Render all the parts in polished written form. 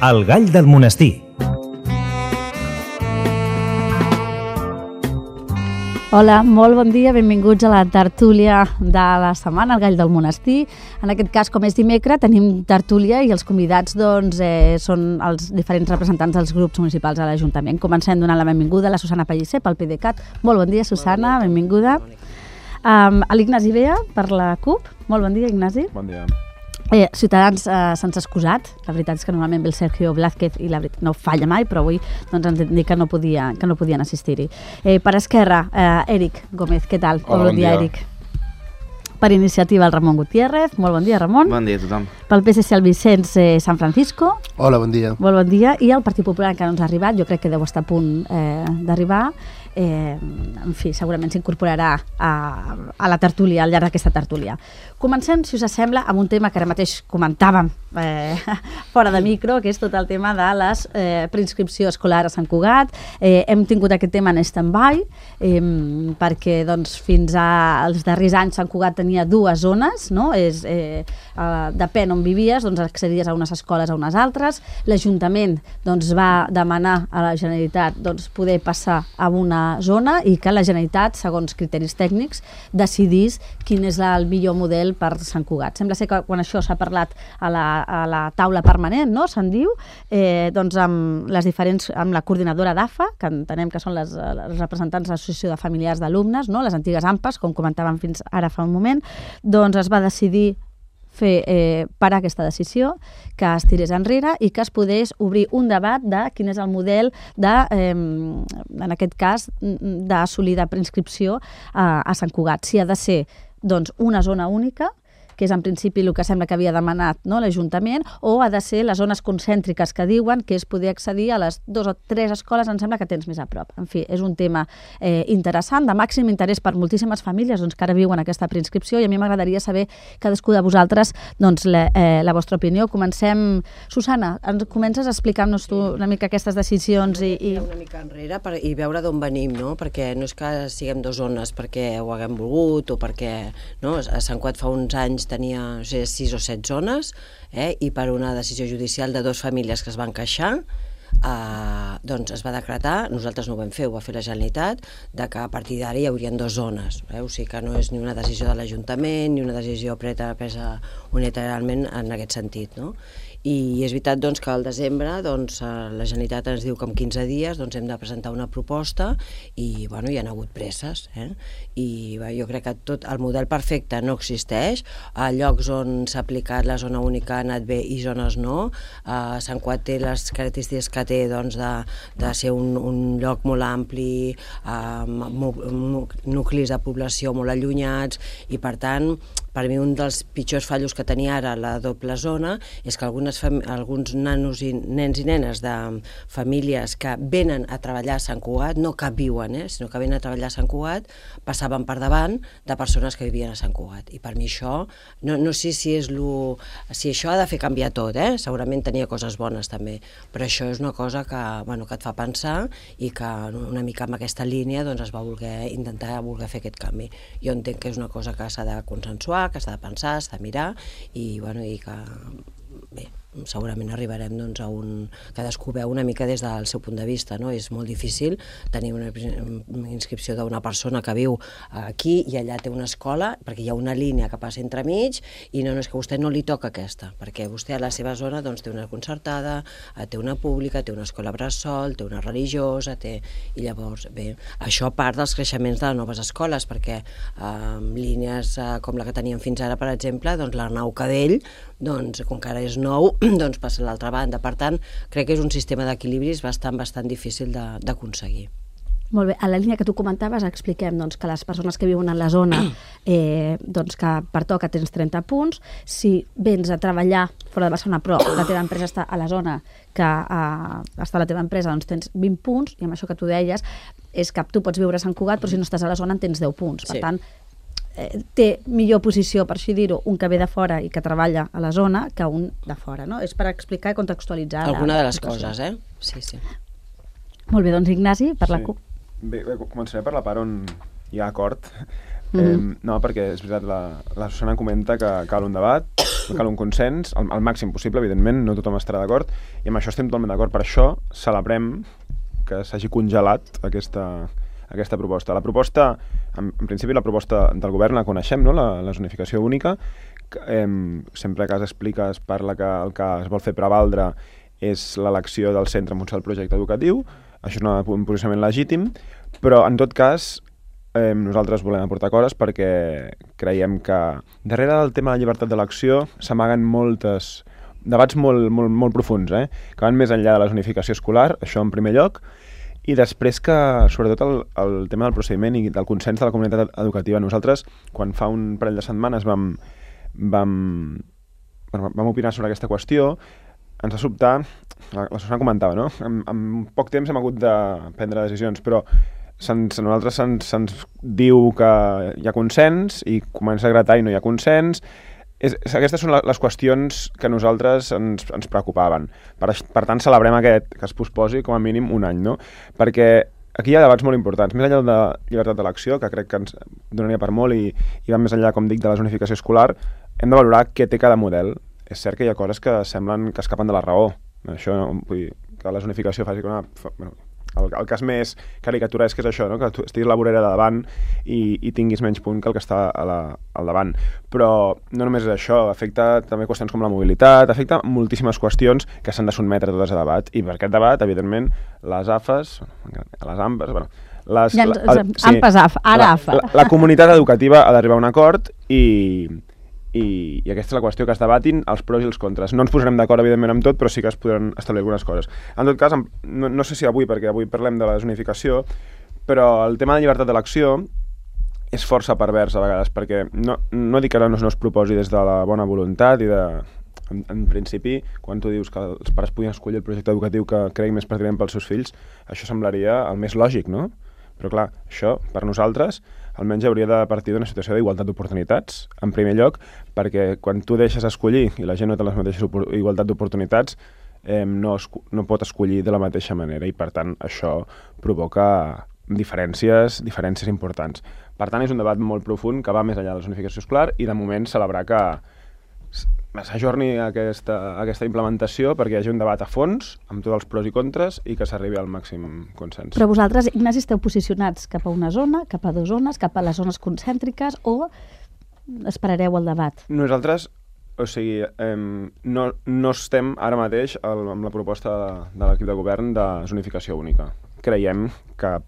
El gall del monestir. Hola, molt bon dia, benvinguts a la tertúlia de la setmana, el gall del monestir. En aquest cas, com és dimecres, tenim tertúlia i els convidats són els diferents representants dels grups municipals a l'Ajuntament. Comencem donant la benvinguda a la Susana Pellicer, pel PDeCAT. Molt bon dia, Susana, benvinguda. A l'Ignasi Bea, per la CUP. Molt bon dia, Ignasi. Bon dia. Ciutadans se'ns ha excusat. La veritat és que normalment ve el Sergio Blázquez i la veritat no falla mai, però avui ens han dit que no podien assistir-hi. Per Esquerra, Eric Gómez, què tal? Hola, bon dia. Eric. Per iniciativa, el Ramon Gutiérrez. Molt bon dia, Ramon. Bon dia a tothom. Pel PSC, el Vicenç San Francisco. Hola, bon dia. Molt bon dia. I el Partit Popular, que no ens ha arribat, jo crec que deu estar a punt d'arribar. En fi, segurament s'incorporarà a la tertúlia, al llarg d'aquesta tertúlia. Comencem, si us sembla, amb un tema que ara mateix comentàvem fora de micro, que és tot el tema de les preinscripció escolar a Sant Cugat. Hem tingut aquest tema en stand-by, perquè doncs, fins als darrers anys Sant Cugat tenia dues zones, no? Depèn on vivies, doncs accedies a unes escoles a unes altres. L'Ajuntament doncs, va demanar a la Generalitat doncs, poder passar a una zona i que la Generalitat, segons criteris tècnics, decidís quin és el millor model per Sant Cugat. Sembla ser que quan això s'ha parlat a la taula permanent, no? Se'n diu, doncs amb la coordinadora d'AFA, que entenem que són les representants de l'Associació de Familiars d'Alumnes, no? Les antigues AMPAs, com comentàvem fins ara fa un moment, doncs es va decidir parar aquesta decisió, que es tirés enrere i que es podés obrir un debat de quin és el model en aquest cas, d'assolir de preinscripció a Sant Cugat. Si ha de ser doncs, una zona única, que és en principi el que sembla que havia demanat, no, l'Ajuntament, o ha de ser les zones concèntriques que diuen que és poder accedir a les 2 o 3 escoles, em sembla que tens més a prop. En fi, és un tema interessant, de màxim interès per moltíssimes famílies doncs, que ara viuen aquesta preinscripció, i a mi m'agradaria saber cadascú de vosaltres doncs, la vostra opinió. Comencem. Susana, ens comences a explicar-nos tu una mica aquestes decisions i una mica enrere i veure d'on venim, no? Perquè no és que siguem dues zones perquè ho haguem volgut o perquè no? A Sant Cugat fa uns anys tenia 6 o 7 zones i per una decisió judicial de 2 famílies que es van queixar doncs es va decretar, nosaltres no ho vam fer, ho va fer la Generalitat, de que a partir d'ara hi haurien 2 zones. O sigui que no és ni una decisió de l'Ajuntament ni una decisió presa unilateralment en aquest sentit, no? I és veritat doncs, que al desembre doncs, la Generalitat ens diu que en 15 dies doncs, hem de presentar una proposta i bueno, hi ha hagut presses. I jo crec que tot el model perfecte no existeix. A llocs on s'ha aplicat la zona única ha anat bé i zones no. Sant Cugat té les característiques que té doncs, de ser un lloc molt ampli, amb nuclis de població molt allunyats i per tant per mi un dels pitjors fallos que tenia ara la doble zona és que alguns nens i nenes de famílies que venen a treballar a Sant Cugat, no que viuen, sinó que venen a treballar a Sant Cugat, passaven per davant de persones que vivien a Sant Cugat. I per mi això, no sé si això ha de fer canviar tot, segurament tenia coses bones també, però això és una cosa que et fa pensar i que una mica amb aquesta línia doncs, es va intentar fer aquest canvi. Jo entenc que és una cosa que s'ha de consensuar, que s'ha de pensar, s'ha de mirar i que bé, segurament arribarem doncs, a cadascú veu una mica des del seu punt de vista, no? És molt difícil tenir una inscripció d'una persona que viu aquí i allà té una escola, perquè hi ha una línia que passa entremig i no és que a vostè no li toca aquesta, perquè vostè a la seva zona doncs, té una concertada, té una pública, té una escola bressol, té una religiosa, i llavors, bé, això a part dels creixements de les noves escoles, perquè línies com la que teníem fins ara, per exemple, doncs l'Arnau Cadell, doncs, com que ara és nou, doncs passa a l'altra banda. Per tant, crec que és un sistema d'equilibris bastant difícil d'aconseguir. Molt bé, a la línia que tu comentaves expliquem doncs, que les persones que viuen en la zona doncs, que pertoca tens 30 punts, si vens a treballar fora de Barcelona però la teva empresa està a la zona que està la teva empresa doncs tens 20 punts i amb això que tu deies és que tu pots viure a Sant Cugat però si no estàs a la zona en tens 10 punts, per tant té millor posició, per així dir-ho, un que ve de fora i que treballa a la zona que un de fora, no? És per explicar i contextualitzar alguna de les coses, Sí. Molt bé, doncs Ignasi, per la CUP. Bé, començaré per la part on hi ha acord. No, perquè és veritat, la Susana comenta que cal un debat, cal un consens, al màxim possible, evidentment, no tothom estarà d'acord, i amb això estem totalment d'acord. Per això celebrem que s'hagi congelat aquesta proposta. La proposta, en principi, la proposta del govern la coneixem, no? La zonificació única. Sempre que s'explica es parla que el que es vol fer prevaldre és l'elecció del centre en funció del projecte educatiu. Això és un posicionament legítim, però en tot cas nosaltres volem aportar coses perquè creiem que darrere del tema de la llibertat d'elecció s'amaguen moltes debats molt profunds, que van més enllà de la zonificació escolar, això en primer lloc, i després que, sobretot, el tema del procediment i del consens de la comunitat educativa. Nosaltres, quan fa un parell de setmanes vam opinar sobre aquesta qüestió, ens va sobtar, la Susana comentava, no? En poc temps hem hagut de prendre decisions, però nosaltres se'ns diu que hi ha consens i comença a gratar i no hi ha consens. Aquestes són les qüestions que a nosaltres ens preocupaven. Per tant, celebrem que es posposi com a mínim un any, no? Perquè aquí hi ha debats molt importants. Més enllà de llibertat d'elecció, que crec que ens donaria per molt i va més enllà, com dic, de la zonificació escolar, hem de valorar què té cada model. És cert que hi ha coses que semblen que escapen de la raó. Això, vull dir, que la zonificació faci una... El cas més caricaturesc és això, no? Que tu estiguis a la vorera de davant i tinguis menys punt que el que està al davant. Però no només és això, afecta també qüestions com la mobilitat, afecta moltíssimes qüestions que s'han de sotmetre totes a debat. I per aquest debat, evidentment, les AFES, les AMPES... Bueno, la comunitat educativa ha d'arribar a un acord i aquesta és la qüestió, que es debatin els pros i els contres. No ens posarem d'acord, evidentment, amb tot, però sí que es podran establir algunes coses. En tot cas, no sé si avui, perquè avui parlem de la zonificació, però el tema de llibertat d'elecció és força pervers a vegades, perquè no dic que no es proposi des de la bona voluntat i en principi, quan tu dius que els pares podien escollir el projecte educatiu que cregui més pertinent pels seus fills, això semblaria el més lògic, no? Però clar, això, per nosaltres, almenys hauria de partir d'una situació d'igualtat d'oportunitats, en primer lloc, perquè quan tu deixes escollir i la gent no té les mateixes igualtat d'oportunitats, no pot escollir de la mateixa manera i, per tant, això provoca diferències importants. Per tant, és un debat molt profund que va més enllà de la zonificació escolar i, de moment, celebrar que s'ajorni aquesta implementació perquè hi hagi un debat a fons amb tots els pros i contres i que s'arribi al màxim consens. Però vosaltres, Ignasi, esteu posicionats cap a una zona, cap a dues zones, cap a les zones concèntriques o esperareu el debat? Nosaltres, o sigui, no estem ara mateix amb la proposta de l'equip de govern de zonificació única. Creiem que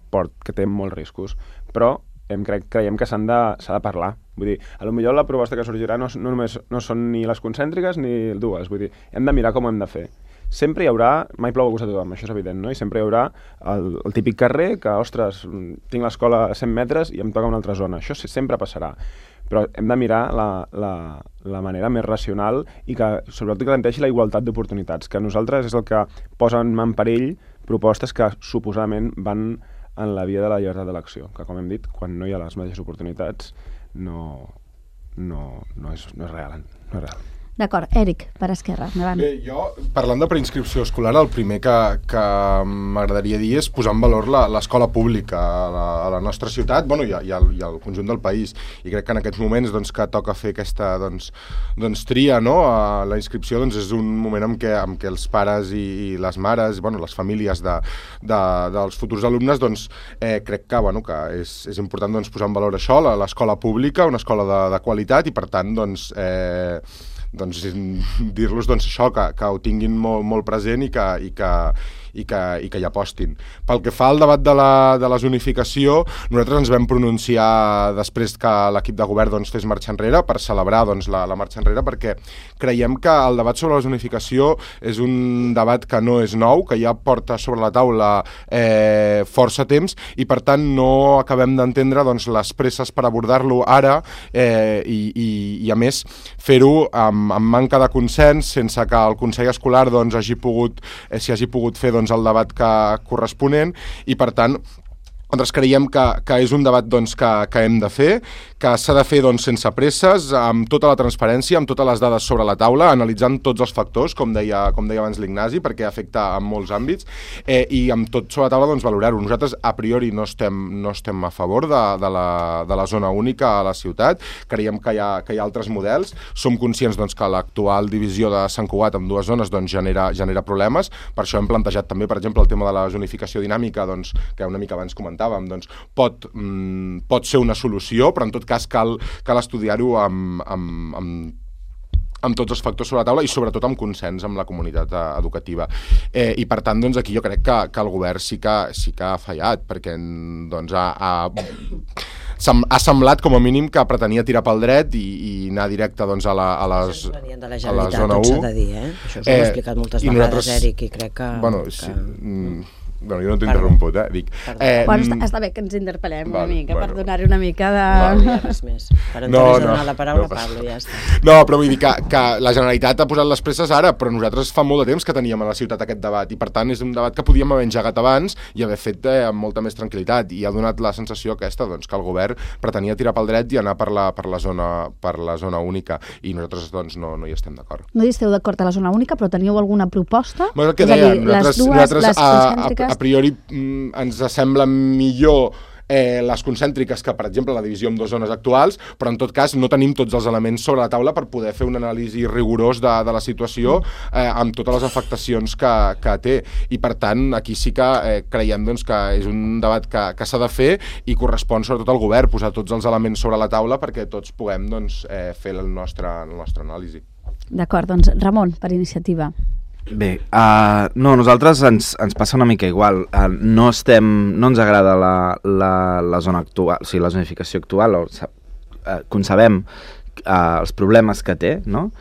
té molts riscos, però creiem que s'ha de parlar. Vull dir, potser la proposta que sorgirà no són ni les concèntriques ni dues. Vull dir, hem de mirar com ho hem de fer. Sempre hi haurà, mai plou a gust a tothom, això és evident, no? I sempre hi haurà el típic carrer que, ostres, tinc l'escola a 100 metres i em toca una altra zona. Això sempre passarà. Però hem de mirar la manera més racional i que sobretot garanteixi la igualtat d'oportunitats, que nosaltres és el que posa en perill propostes que suposadament van en la via de la llibertat d'elecció, que, com hem dit, quan no hi ha les mateixes oportunitats no és real. No és real. D'acord, Eric, per Esquerra, endavant. Bé, jo, parlant de preinscripció escolar, el primer que m'agradaria dir és posar en valor l'escola pública a la nostra ciutat, bueno, i al conjunt del país. I crec que en aquests moments que toca fer aquesta tria, no? La inscripció és un moment en què els pares i les mares, bueno, les famílies dels futurs alumnes, crec que és important posar en valor això, l'escola pública, una escola de qualitat, i per tant, dir-los això, que ho tinguin molt present i que hi apostin. Pel que fa al debat de la zonificació, nosaltres ens vam pronunciar després que l'equip de govern fes marxa enrere per celebrar la marxa enrere, perquè creiem que el debat sobre la zonificació és un debat que no és nou, que ja porta sobre la taula força temps i per tant no acabem d'entendre les presses per abordar-lo ara i a més fer-ho amb manca de consens, sense que el Consell Escolar s'hi hagi pogut fer el debat corresponent i per tant Nosaltres creiem que és un debat doncs, que hem de fer, que s'ha de fer doncs, sense presses, amb tota la transparència, amb totes les dades sobre la taula, analitzant tots els factors, com deia abans l'Ignasi, perquè afecta en molts àmbits, i amb tot sobre la taula doncs, valorar-ho. Nosaltres a priori no estem a favor de la zona única a la ciutat, creiem que hi ha altres models, som conscients doncs, que l'actual divisió de Sant Cugat en dues zones doncs, genera problemes, per això hem plantejat també, per exemple, el tema de la zonificació dinàmica, doncs, que una mica abans comentàvem, doncs, pot ser una solució, però en tot cas cal estudiar-ho amb tots els factors sobre la taula i sobretot amb consens amb la comunitat educativa. I per tant, doncs, aquí jo crec que el govern sí que ha fallat, perquè doncs, ha semblat com a mínim que pretenia tirar pel dret i anar directe doncs, a la zona 1. S'ha de dir, això us ho he explicat moltes vegades, Eric, i crec que... Bueno, jo no t'he interromput, dic. Està bé que ens interpel·lem una mica, per donar-hi una mica de... No hi ha res més. Per donar la paraula a Pablo, ja està. No, però vull dir que la Generalitat ha posat les presses ara, però nosaltres fa molt de temps que teníem a la ciutat aquest debat, i per tant és un debat que podíem haver engegat abans i haver fet amb molta més tranquil·litat, i ha donat la sensació aquesta, doncs, que el govern pretenia tirar pel dret i anar per la zona única, i nosaltres doncs, no hi estem d'acord. No hi esteu d'acord a la zona única, però teníeu alguna proposta? Bueno, el que dèiem, nosaltres a priori ens sembla millor les concèntriques que, per exemple, la divisió en dues zones actuals, però en tot cas no tenim tots els elements sobre la taula per poder fer un anàlisi rigorós de la situació amb totes les afectacions que té. I per tant, aquí sí que creiem doncs, que és un debat que s'ha de fer i correspon sobretot al govern posar tots els elements sobre la taula perquè tots puguem doncs, fer el nostre anàlisi. D'acord, doncs Ramon, per iniciativa. Bé, nosaltres ens passa una mica igual. No ens agrada la zona actual, o sigui, la zonificació actual, concebem els problemes que té, no?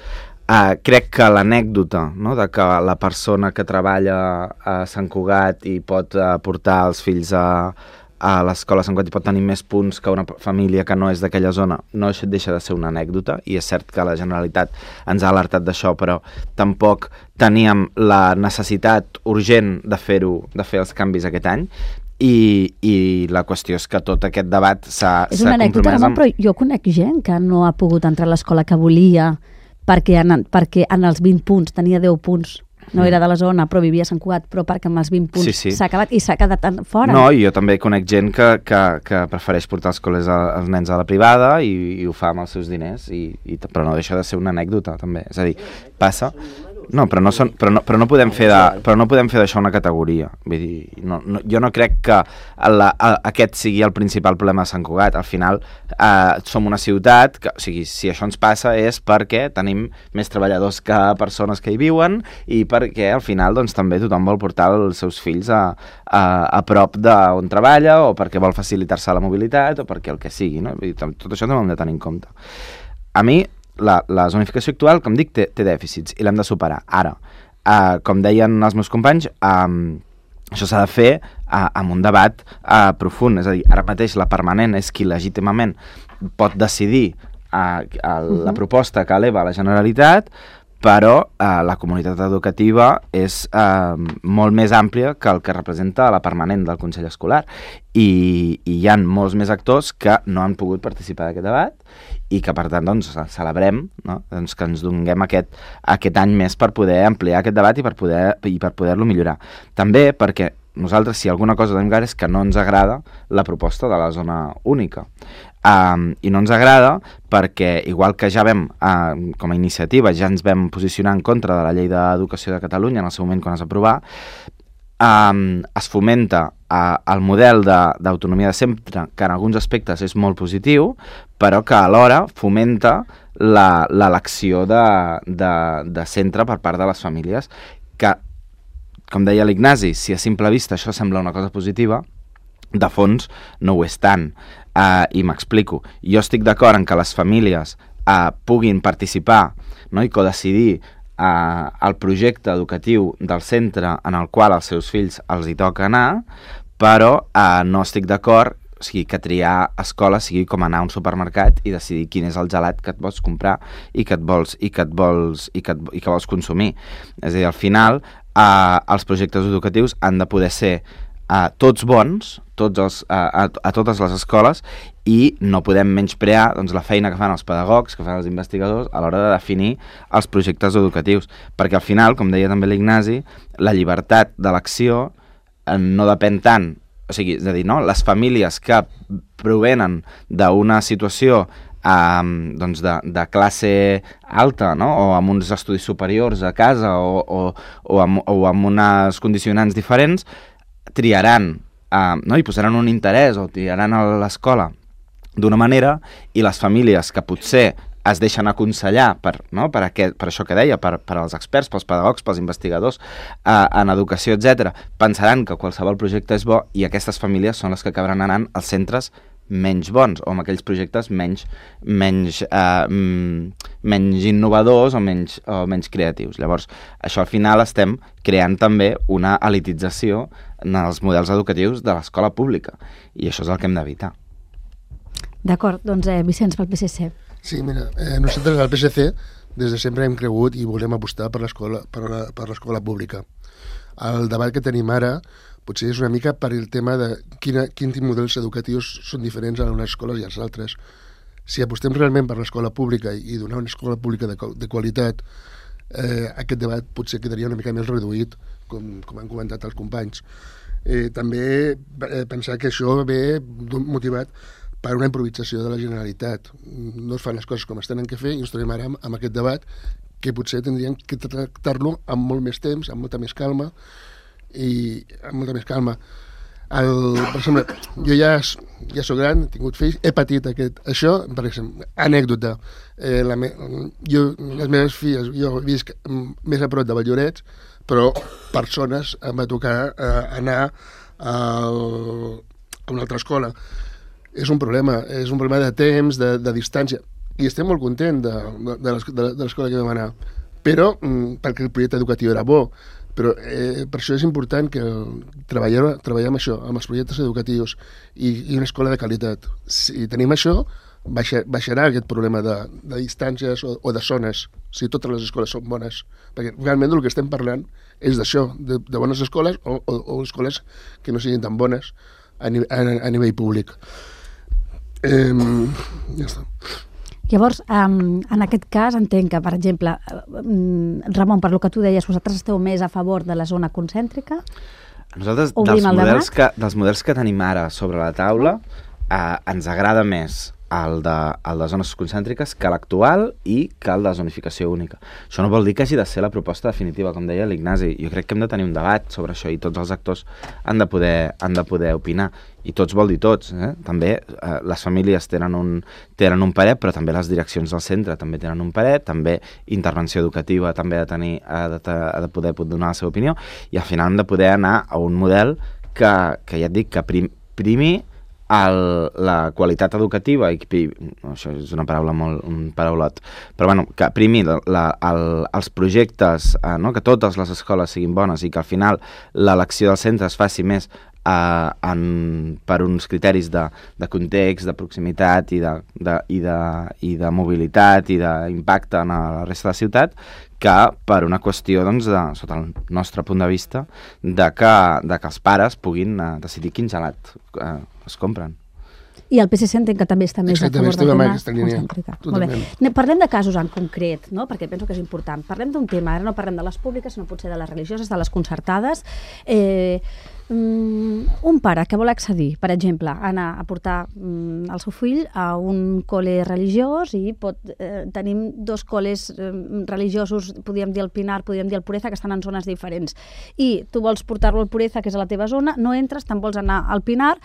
Crec que l'anècdota, no?, de que la persona que treballa a Sant Cugat i pot portar els fills a l'escola Sant Cugat i pot tenir més punts que una família que no és d'aquella zona, no deixa de ser una anècdota, i és cert que la Generalitat ens ha alertat d'això, però tampoc teníem la necessitat urgent de fer els canvis aquest any, i la qüestió és que tot aquest debat s'ha compromès amb... És una anècdota, Ramon, però jo conec gent que no ha pogut entrar a l'escola que volia perquè en els 20 punts tenia 10 punts. No era de la zona, però vivia a Sant Cugat, però perquè amb els 20 punts s'ha acabat i s'ha quedat fora. No, i jo també conec gent que prefereix portar els nens a la privada i ho fa amb els seus diners, però no deixa de ser una anècdota, també. És a dir, passa... No, però no podem fer d'això una categoria. Vull dir, jo no crec que aquest sigui el principal problema de Sant Cugat. Al final som una ciutat que, o sigui, si això ens passa és perquè tenim més treballadors que persones que hi viuen i perquè al final doncs, també tothom vol portar els seus fills a prop d'on treballa o perquè vol facilitar-se la mobilitat o perquè el que sigui, no? Vull dir, tot això també ho hem de tenir en compte. A mi la zonificació actual, com dic, té dèficits i l'hem de superar. Ara, com deien els meus companys, això s'ha de fer amb un debat profund. És a dir, ara mateix la permanent és qui legítimament pot decidir la proposta que eleva la Generalitat, però la comunitat educativa és molt més àmplia que el que representa la permanent del Consell Escolar i hi ha molts més actors que no han pogut participar d'aquest debat i que per tant doncs, celebrem, no? Doncs, que ens donem aquest any més per poder ampliar aquest debat i per poder-lo millorar. També perquè nosaltres, si alguna cosa tenim clar, és que no ens agrada la proposta de la zona única. I no ens agrada perquè, igual que ja vam, com a iniciativa, ja ens vam posicionar en contra de la Llei d'Educació de Catalunya en el seu moment quan es va aprovar, es fomenta el model d'autonomia de centre, que en alguns aspectes és molt positiu, però que alhora fomenta l'elecció de centre per part de les famílies, que, com deia l'Ignasi, si a simple vista això sembla una cosa positiva, de fons no ho és tant. I m'explico. Jo estic d'acord en que les famílies puguin participar, no, i codecidir el projecte educatiu del centre en el qual els seus fills els hi toca anar, però no estic d'acord que triar escola sigui com anar a un supermercat i decidir quin és el gelat que et vols comprar i que vols consumir. És a dir, al final els projectes educatius han de poder ser tots bons, a totes les escoles i no podem menysprear doncs, la feina que fan els pedagogs, que fan els investigadors a l'hora de definir els projectes educatius, perquè al final, com deia també l'Ignasi, la llibertat d'elecció no depèn tant, o sigui, és a dir, no? Les famílies que provenen d'una situació doncs de classe alta, no? O amb uns estudis superiors a casa o amb unes condicionants diferents, triaran, no? I posaran un interès o triaran a l'escola d'una manera, i les famílies que potser es deixen aconsellar per això que deia, per als experts, pels pedagogs, pels investigadors en educació, etc., pensaran que qualsevol projecte és bo, i aquestes famílies són les que acabaran anant als centres menys bons, o amb aquells projectes menys innovadors o menys creatius. Llavors, això al final estem creant també una elitització en els models educatius de l'escola pública, i això és el que hem d'evitar. D'acord, doncs Vicenç, pel PSC. Sí, mira, nosaltres al PSC des de sempre hem cregut i volem apostar per l'escola pública. El debat que tenim ara potser és una mica per el tema de quins models educatius són diferents a unes escoles i a les altres. Si apostem realment per l'escola pública i donar una escola pública de qualitat, aquest debat potser quedaria una mica més reduït, com han comentat els companys. També pensar que això ve motivat per una improvisació de la Generalitat. No es fan les coses com es tenen que fer i ens trobem ara amb aquest debat que potser tindríem que tractar-lo amb molt més temps, amb molta més calma, per exemple, jo ja soc gran, he tingut fills, he patit això, per exemple, anècdota. Les meves filles, jo visc més a prop de Valldorets, però per zones em va tocar anar a una altra escola. És un problema de temps, de distància, i estem molt contents de l'escola que vam anar, però perquè el projecte educatiu era bo. Però per això és important que treballem això, amb els projectes educatius i una escola de qualitat. Si tenim això, baixarà aquest problema de distàncies o de zones, si totes les escoles són bones. Perquè realment el que estem parlant és d'això, de bones escoles o escoles que no siguin tan bones a nivell públic. Ja està. Llavors, en aquest cas, entenc que, per exemple, Ramon, per lo que tu deies, vosaltres esteu més a favor de la zona concèntrica? Nosaltres, dels models que tenim ara sobre la taula, ens agrada més el de zones concèntriques que l'actual i que el de zonificació única. Això no vol dir que hagi de ser la proposta definitiva, com deia l'Ignasi. Jo crec que hem de tenir un debat sobre això i tots els actors han de poder opinar. I tots vol dir tots. També les famílies tenen un parer, però també les direccions del centre també tenen un parer, també intervenció educativa també ha de poder donar la seva opinió, i al final hem de poder anar a un model que ja et dic, que primi la qualitat educativa, i això és una paraula un paraulot, però bueno, que primi els projectes, que totes les escoles siguin bones i que al final l'elecció del centre es faci més per uns criteris de context, de proximitat i de mobilitat i d'impacte en la resta de la ciutat, que per una qüestió, doncs, sota el nostre punt de vista, de que els pares puguin decidir quin gelat es compren. I el PSC entenc que també està més a favor de la concèntrica. Parlem de casos en concret, no? Perquè penso que és important. Parlem d'un tema, ara no parlem de les públiques, sinó potser de les religioses, de les concertades. Un pare que vol accedir, per exemple, anar a portar el seu fill a un col·le religiós i tenim dos col·les religiosos, podríem dir el Pinar, podríem dir el Pureza, que estan en zones diferents. I tu vols portar-lo al Pureza, que és a la teva zona, no entres, te'n vols anar al Pinar,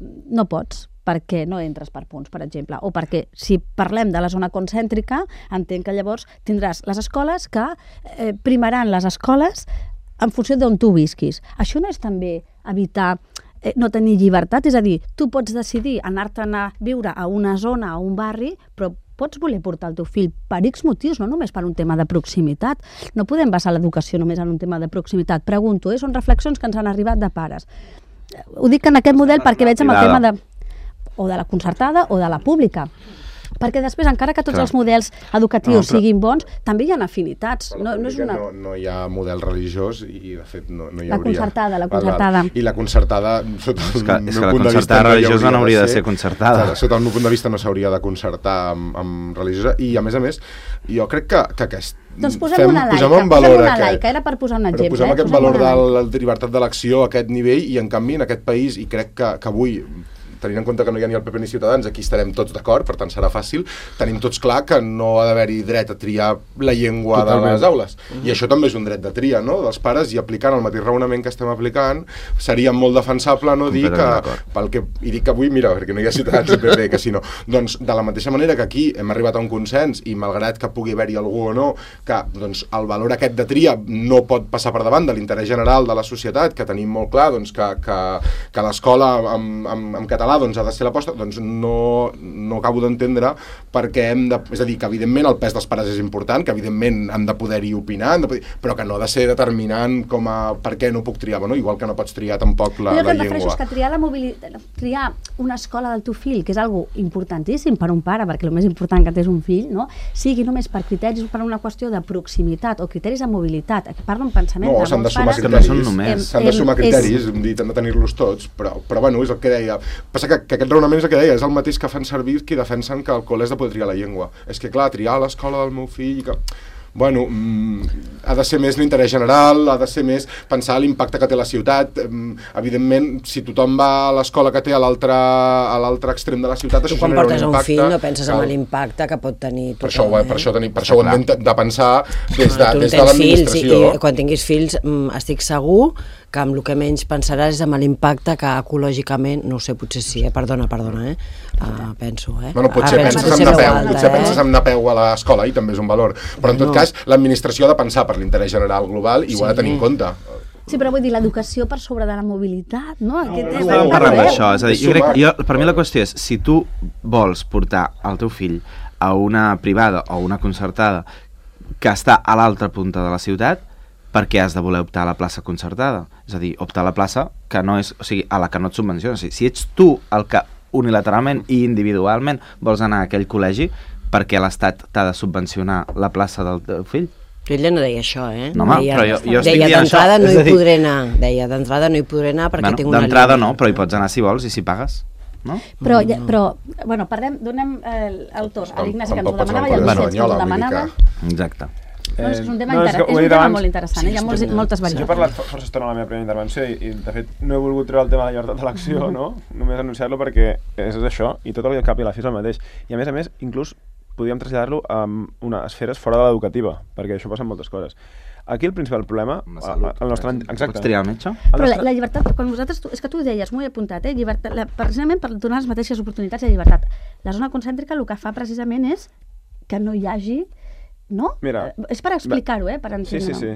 no pots, perquè no entres per punts, per exemple, o perquè si parlem de la zona concèntrica, entenc que llavors tindràs les escoles que primaran les escoles en funció d'on tu visquis. Això no és també evitar no tenir llibertat? És a dir, tu pots decidir anar-te'n a viure a una zona, a un barri, però pots voler portar el teu fill per X motius, no només per un tema de proximitat. No podem basar l'educació només en un tema de proximitat. Pregunto, són reflexions que ens han arribat de pares. Ho dic en aquest model perquè veig amb el tema o de la concertada o de la pública. Perquè després, encara que tots els models educatius siguin bons, també hi ha afinitats. No hi ha model religiós i, de fet, no hi hauria. La concertada. I la concertada, sota el meu punt de vista... La concertada religiosa no hauria de ser concertada. Sota el meu punt de vista no s'hauria de concertar amb religiosa. I, a més, jo crec que aquest... Doncs posem una laica, era per posar un exemple. Però posem aquest valor de la llibertat d'elecció a aquest nivell i, en canvi, en aquest país, i crec que avui, tenint en compte que no hi ha ni el PP ni Ciutadans, aquí estarem tots d'acord, per tant serà fàcil, tenim tots clar que no ha d'haver-hi dret a triar la llengua de les aules. I això també és un dret de tria, no?, dels pares, i aplicant el mateix raonament que estem aplicant, seria molt defensable no dir que, i dic que avui, mira, perquè no hi ha Ciutadans i PP, que si no, doncs de la mateixa manera que aquí hem arribat a un consens, i malgrat que pugui haver-hi algú o no, que doncs, el valor aquest de tria no pot passar per davant de l'interès general de la societat, que tenim molt clar doncs, que l'escola en català doncs, ha de ser l'aposta, doncs no acabo d'entendre perquè és a dir, que evidentment el pes dels pares és important, que evidentment han de poder-hi opinar, però que no ha de ser determinant com a per què no puc triar, bueno, igual que no pots triar tampoc la llengua. Jo el que refereixo és que triar una escola del teu fill, que és algo importantíssim per un pare, perquè el més important que té és un fill, no? Sigui només per criteris, per una qüestió de proximitat o criteris de mobilitat, que parlo en pensament de molts pares... S'han de sumar criteris, hem dit, han de tenir-los tots, però bueno, és el que deia. Passa que aquest raonament és el que deia, és el mateix que fan servir qui defensen que el col·le has de poder triar la llengua. És que, clar, triar a l'escola del meu fill... Que... Bueno, ha de ser més l'interès general, ha de ser més pensar l'impacte que té la ciutat. Evidentment, si tothom va a l'escola que té a l'altre extrem de la ciutat, això genera un impacte... Tu quan portes un fill no penses en l'impacte que pot tenir... Per això ho hem de pensar des de l'administració. I quan tinguis fills estic segur que amb el que menys pensaràs és amb l'impacte que ecològicament, no ho sé, potser sí, perdona, penso, Bueno, potser penses en anar a peu a l'escola i també és un valor, però en tot cas l'administració ha de pensar per l'interès general global i ho ha de tenir en compte. Sí, però vull dir, l'educació per sobre de la mobilitat, no? Estàvem parlant d'això, és a dir, per mi la qüestió és, si tu vols portar el teu fill a una privada o una concertada que està a l'altra punta de la ciutat, per què has de voler optar a la plaça concertada? És a dir, optar a la plaça que no és, o sigui, a la que no et subvenciona. O sigui, si ets tu el que unilateralment i individualment vols anar a aquell col·legi, per què l'Estat t'ha de subvencionar la plaça del teu fill? Ella no deia això, No, però jo estic dient això. Deia, d'entrada no hi podré anar perquè tinc una línia. D'entrada no, però hi pots anar si vols i si pagues. No? Però, bueno, donem el torn a l'Ignasi que ens ho demanava i al Vicenç que ens ho demanava. Exacte. És un tema molt interessant, hi ha moltes variants. Jo he parlat força estona a la meva primera intervenció i de fet no he volgut treure el tema de la llibertat d'elecció, no? Només anunciar-lo perquè és això i tot el cap i la fi és el mateix. I a més, inclús podríem traslladar-lo a unes esferes fora de l'educativa, perquè això passa en moltes coses. Aquí el principal problema... El nostre... Exacte. Pots triar el metge? Però la llibertat, quan vosaltres... És que tu deies, m'ho he apuntat, precisament per donar les mateixes oportunitats de llibertat. La zona concèntrica el que fa precisament és que no hi hagi... No? Mira, és per explicar-ho, per entendre-ho. Sí.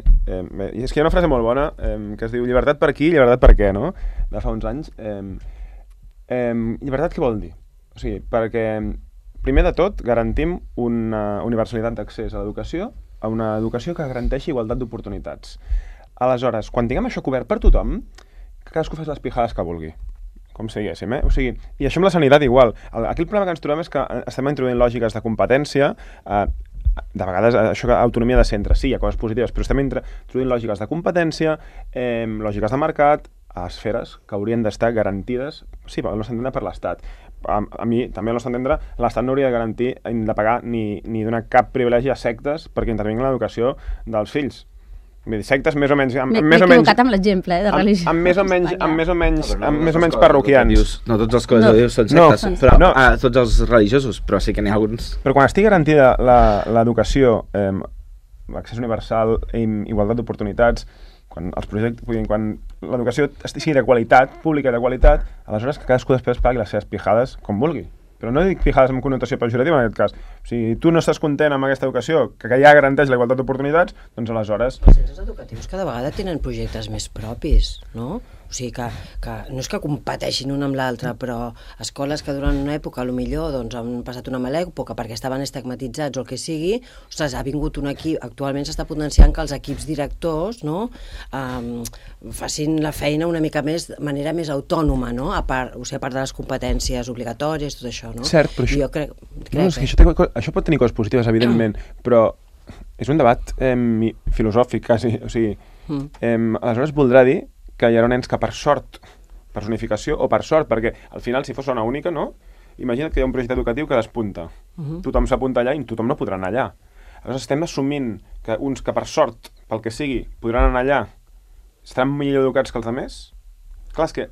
És que hi ha una frase molt bona que es diu llibertat per aquí, llibertat per què, no? De fa uns anys. Llibertat què vol dir? O sigui, perquè primer de tot garantim una universalitat d'accés a l'educació, a una educació que garanteixi igualtat d'oportunitats. Aleshores, quan tinguem això cobert per tothom, que cadascú fes les pijades que vulgui, com si diguéssim, O sigui, i això amb la sanitat igual. Aquí el problema que ens trobem és que estem introduint lògiques de competència, de vegades això que autonomia de centre, sí, hi ha coses positives, però estem introduint lògiques de competència, lògiques de mercat, a esferes que haurien d'estar garantides, sí, al nostre entendre per l'Estat. A mi, també al nostre entendre, l'Estat no hauria de garantir, de pagar ni donar cap privilegi a sectes perquè intervinguin en l'educació dels fills. Vull dir, sectes més o menys... M'he equivocat amb l'exemple, de religió. Amb més o menys parroquians. No tots els col·legis són sectes, però tots els religiosos, però sí que n'hi ha alguns. Però quan estigui garantida l'educació, l'accés universal, igualtat d'oportunitats, quan l'educació sigui de qualitat, pública de qualitat, aleshores que cadascú després pagui les seves pijades com vulgui. Però no dic pijades amb connotació pejorativa en aquest cas. O sigui, tu no estàs content amb aquesta educació, que ja garanteix la igualtat d'oportunitats, doncs aleshores... Els centres educatius cada vegada tenen projectes més propis, no? O sigui que no és que competeixin una amb l'altra, però escoles que durant una època potser doncs, han passat una mala època perquè estaven estigmatitzats o el que sigui, ostres, ha vingut un equip, actualment s'està potenciant que els equips directors, no, facin la feina una mica més, de manera més autònoma, no? A part de les competències obligatòries, tot això, no? Cert, però jo crec no, és que això pot tenir coses positives, evidentment, però és un debat filosòfic, quasi. O sigui, aleshores voldrà dir que hi ha nens que per sort, per zonificació o per sort, perquè al final, si fos zona única, no? Imagina't que hi ha un projecte educatiu que despunta. Tothom s'apunta allà i tothom no podrà anar allà. Aleshores estem assumint que uns que per sort, pel que sigui, podran anar allà, estaran millor educats que els altres? Clar, és que...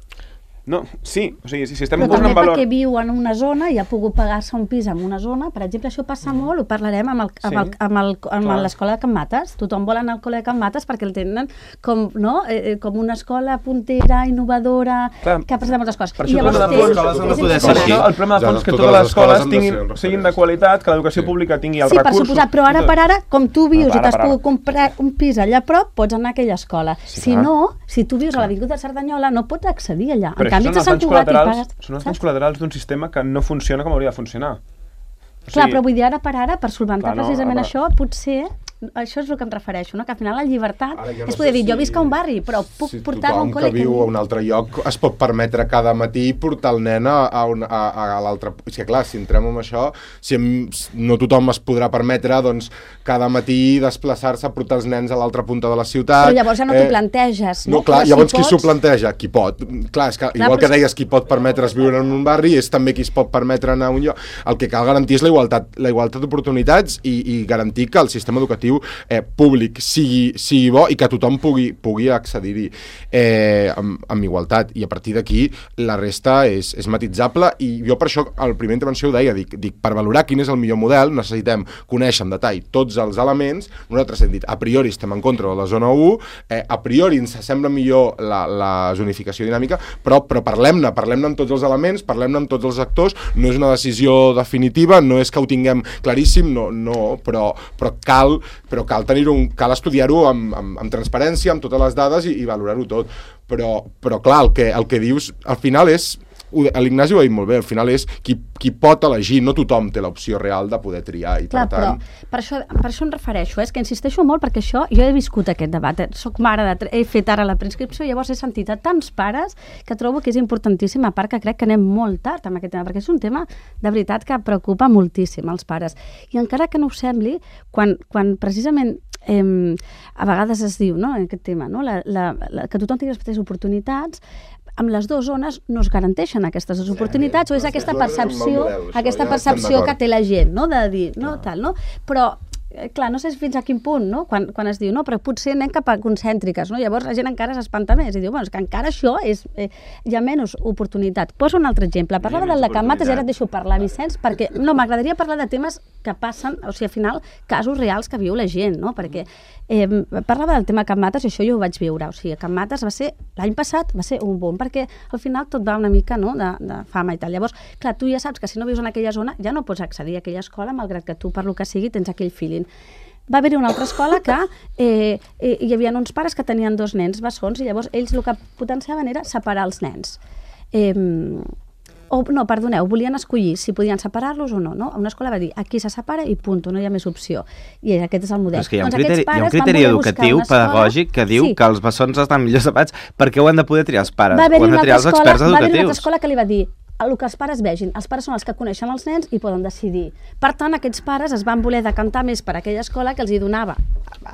No, sí, o sigui, si estem però posant en valor... també perquè viu en una zona i ha pogut pagar-se un pis en una zona, per exemple, això passa molt, ho parlarem amb l'escola de Can Mates. Tothom vol anar al col·le de Can Mates perquè el tenen com, no? Com una escola puntera, innovadora, que ha passat moltes coses. Per això el problema de fons és que totes les escoles siguin de qualitat, que l'educació pública tingui els recursos... Sí, per suposat, però ara per ara, com tu vius i t'has pogut comprar un pis allà a prop, pots anar a aquella escola. Si no, si tu vius a l'avinguda de Cerdanyola, no pots accedir allà. Són els danys col·laterals d'un sistema que no funciona com hauria de funcionar. Clar, però vull dir, ara per ara, per solventar precisament això, potser... Això és el que em refereixo, no? Que al final la llibertat és poder dir, jo visc a un barri, però puc portar-lo a un col·le. Tothom que viu a un altre lloc es pot permetre cada matí portar el nen a l'altre... És que clar, si entrem en això, no tothom es podrà permetre, doncs, cada matí desplaçar-se, portar els nens a l'altra punta de la ciutat... Però llavors ja no t'ho planteges, no? No, clar, llavors qui s'ho planteja? Qui pot. Clar, és que igual que deies, qui pot permetre's viure en un barri és també qui es pot permetre anar a un lloc. El que cal garantir és la igualtat d'oportunitats i garantir que el sistema educatiu públic sigui bo i que tothom pugui accedir-hi amb igualtat, i a partir d'aquí la resta és matitzable, i jo per això a la primera intervenció ho deia, dic per valorar quin és el millor model necessitem conèixer en detall tots els elements. Nosaltres hem dit, a priori estem en contra de la zona 1, a priori ens sembla millor la zonificació dinàmica, però parlem-ne amb tots els elements, parlem-ne amb tots els actors, no és una decisió definitiva, no és que ho tinguem claríssim, però cal tenir-ho, cal estudiar-ho amb transparència, amb totes les dades i valorar-ho tot. Però clar, el que dius al final és, l'Ignasi ho ha dit molt bé, al final és qui pot elegir, no tothom té l'opció real de poder triar. I clar, però per això em refereixo, és que insisteixo molt perquè això, jo he viscut aquest debat, soc mare, he fet ara la preinscripció, llavors he sentit a tants pares que trobo que és importantíssim, a part que crec que anem molt tard amb aquest tema, perquè és un tema de veritat que preocupa moltíssim els pares. I encara que no ho sembli, quan precisament a vegades es diu, no, en aquest tema, no, que tothom tingui les mateixes oportunitats, amb les dues zones no es garanteixen aquestes oportunitats, o és aquesta percepció que té la gent, no, de dir, no, tal, no? Però clar, no sé fins a quin punt, no? Quan es diu, no, però potser anem cap a concèntriques, no? Llavors la gent encara s'espanta més i diu, bueno, és que encara això és, hi ha menys oportunitat. Poso un altre exemple. Parlava del de Can Mates i ara et deixo parlar, Vicenç, perquè no, m'agradaria parlar de temes que passen, o sigui, al final, casos reals que viu la gent, no? Perquè parlava del tema Can Mates i això jo ho vaig viure, o sigui, Can Mates l'any passat va ser un boom, perquè al final tot va una mica, no?, de fama i tal. Llavors, clar, tu ja saps que si no vius en aquella zona ja no pots accedir a aquella escola, malgrat que tu, per lo que sigui, tens aquell feeling. Va haver-hi una altra escola que hi havia uns pares que tenien 2 nens bessons i llavors ells el que potenciaven era separar els nens. No, perdoneu, volien escollir si podien separar-los o no, no? Una escola va dir, aquí se separa i punt, no hi ha més opció. I aquest és el model. Però és que hi ha un criteri educatiu, pedagògic, que diu que els bessons estan millor separats perquè ho han de poder triar els pares, ho han de triar els experts educatius. Va haver-hi una altra escola que li va dir, el que els pares vegin. Els pares són els que coneixen els nens i poden decidir. Per tant, aquests pares es van voler decantar més per aquella escola que els hi donava.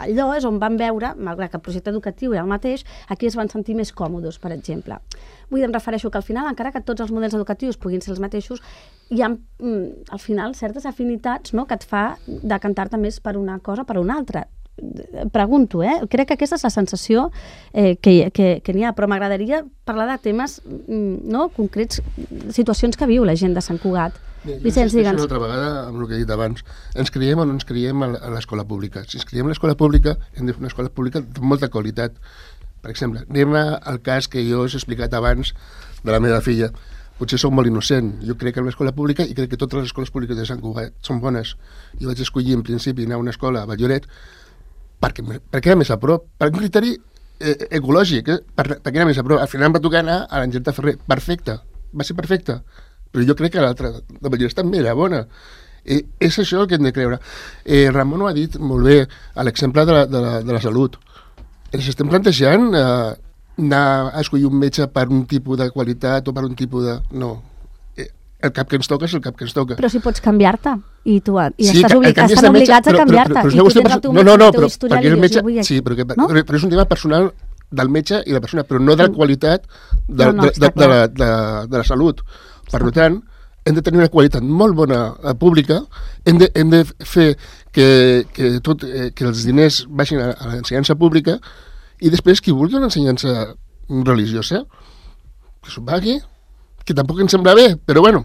Allò és on van veure, malgrat que el projecte educatiu era el mateix, aquí es van sentir més còmodes, per exemple. Vull dir, em refereixo que al final, encara que tots els models educatius puguin ser els mateixos, hi ha, al final, certes afinitats, no?, que et fa decantar-te més per una cosa o per una altra. Pregunto, crec que aquesta és la sensació que n'hi ha, però m'agradaria parlar de temes concrets, situacions que viu la gent de Sant Cugat. Vicenç, digue'ns. Una altra vegada amb el que he dit abans, ens creiem o no ens creiem a l'escola pública. Si ens creiem a l'escola pública, hem de fer una escola pública de molta qualitat. Per exemple, anem al cas que jo us he explicat abans de la meva filla. Potser soc molt innocent. Jo crec que en l'escola pública, i crec que totes les escoles públiques de Sant Cugat són bones. Jo vaig escollir en principi anar a una escola a Valloret perquè era més a prop, per un criteri ecològic, perquè era més a prop. Al final em va tocar anar a l'Angel de Ferrer. Perfecte, va ser perfecte. Però jo crec que l'altra, de Vallès, també era bona. És això el que hem de creure. Ramon ho ha dit molt bé, a l'exemple de la salut. Ens estem plantejant anar a escollir un metge per un tipus de qualitat o per un tipus de... No. El cap que ens toca és el cap que ens toca. Però si pots canviar-te i sí, estan obligats a canviar-te i tu tens el teu historial i jo vull aquí. Sí, però és un tema personal del metge i de la persona, però no de la qualitat de la salut. Per tant, hem de tenir una qualitat molt bona pública, hem de fer que els diners vagin a l'ensenyança pública i després qui vulgui una ensenyança religiosa que s'ho pagui, que tampoc ens sembla bé, però bueno,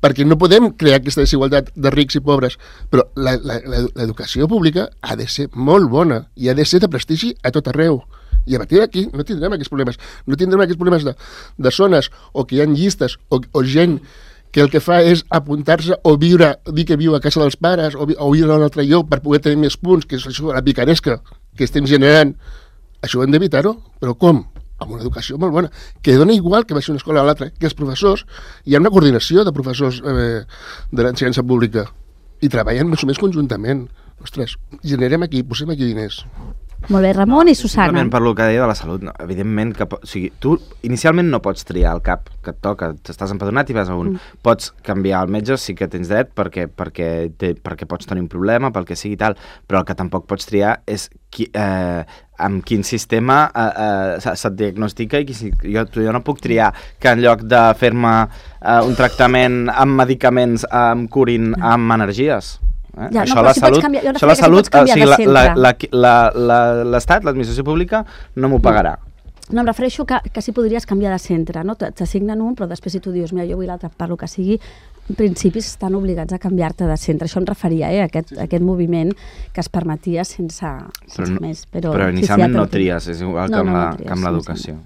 perquè no podem crear aquesta desigualtat de rics i pobres, però l'educació pública ha de ser molt bona i ha de ser de prestigi a tot arreu. I a partir d'aquí no tindrem aquests problemes. No tindrem aquests problemes de zones o que hi ha llistes o gent que el que fa és apuntar-se o dir que viu a casa dels pares o viure a un altre lloc per poder tenir més punts, que és això, la picaresca que estem generant. Això ho hem d'evitar-ho, però com? Amb una educació molt bona, que dona igual que vagi una escola a l'altra, que els professors, hi ha una coordinació de professors de l'ensenyança pública i treballen més o més conjuntament. Ostres, generem aquí, posem aquí diners. Molt bé, Ramon i Susana. Simplement per lo que deia de la salut, no, evidentment que o sigui, tu inicialment no pots triar el cap que et toca, t'estàs empadronat i vas a un. Pots canviar el metge, sí que tens dret perquè pots tenir un problema, pel que sigui tal, però el que tampoc pots triar és amb quin sistema se't diagnostica i jo no puc triar que en lloc de fer-me un tractament amb medicaments em curin amb energies. Ja, això la salut, l'Estat, l'administració pública no m'ho pagarà. No, em refereixo que si podries canviar de centre, no? T'assignen un, però després si tu dius, mira, jo vull l'altre, per lo que sigui, en principi estan obligats a canviar-te de centre. Això em referia, a aquest moviment que es permetia sense més. Però inicialment no tries, és igual que amb l'educació.